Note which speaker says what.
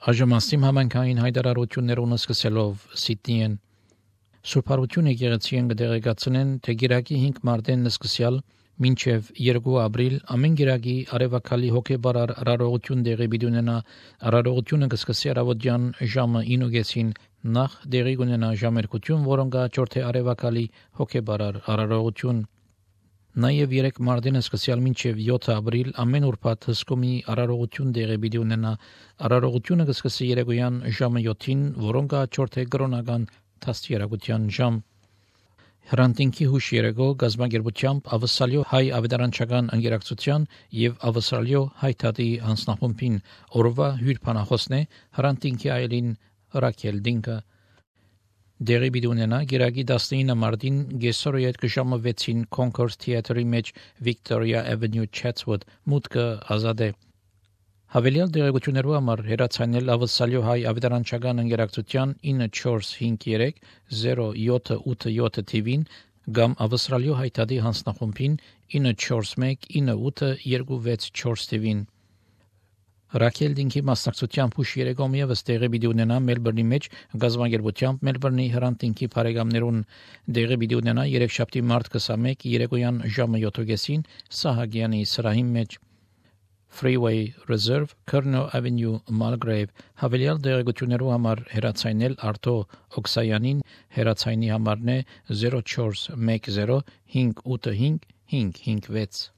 Speaker 1: Աժմաստիմ համանքային հայտարարություններուն սկսելով Սիդնի են Սուրբ Հարություն եկեղեցին կդեղեկացնեն, թե գիրակի 5 մարտեն սկսյալ մինչև 2 ապրիլ ամեն գիրակի արևակալի հոգեբարար արարողություն դեղի բիդունենա արարողությունը կսկսի առավոտյան ժամը 9:00-ին նախ դեղի կունենա ժամերկություն, որոնք ճորթե արևակալի հոգեբարար արարողություն Նաև 3 մարտեն սկսյալ մինչև 7 ապրիլ ամեն ուրբաթ հսկումի արարողություն դեղի բիդունենա արարողությունը կսկսի երեկոյան ժամը 7-ին, որոնք ճորթե կրոնական Թաստիարակության ժամ Հրանտինքի հուշ երեկո գազագերբությամբ ավսալյո հայ ավետարանչական ընկերակցության եւ ավսալյո հայտարարի հանձնախումբին օրվա հյուրփանախոսն է Հրանտինքի այլին Ռաքել Դինկը Դերի բիդունենա գիրակի 19 մարտին գեսորոյետ ժամը 6-ին Concourse Theatre-ի մեջ Victoria Avenue Chatswood մուտքը ազատ է Հավելյալ դերակցություններով համար հեռացանել ավսալյո հայ ավետարանչական ընկերակցության 9453 0787 TV-ին կամ ավստրալիո հայտարարի հանձնախումբին 941 9826 TV-ին Ռաքել Դինկի մասնակցությամբ հուշ երեկոմ ևս տեղի պիտի ունենա Մելբուրնի մեջ գազագերբությամբ Մելբուրնի Հրանտինքի բարեկամներուն տեղի պիտի ունենա երեքշաբթի մարտ 21 երեկոյան ժամը 7:00-ին Սահակյանի սրահի մեջ Freeway Reserve, Colonel Avenue, Mulgrave, հավելյալ դերակցություններով համար հեռացանել Արտո Օքսայանին հեռացայինի համարն է 0410 585 556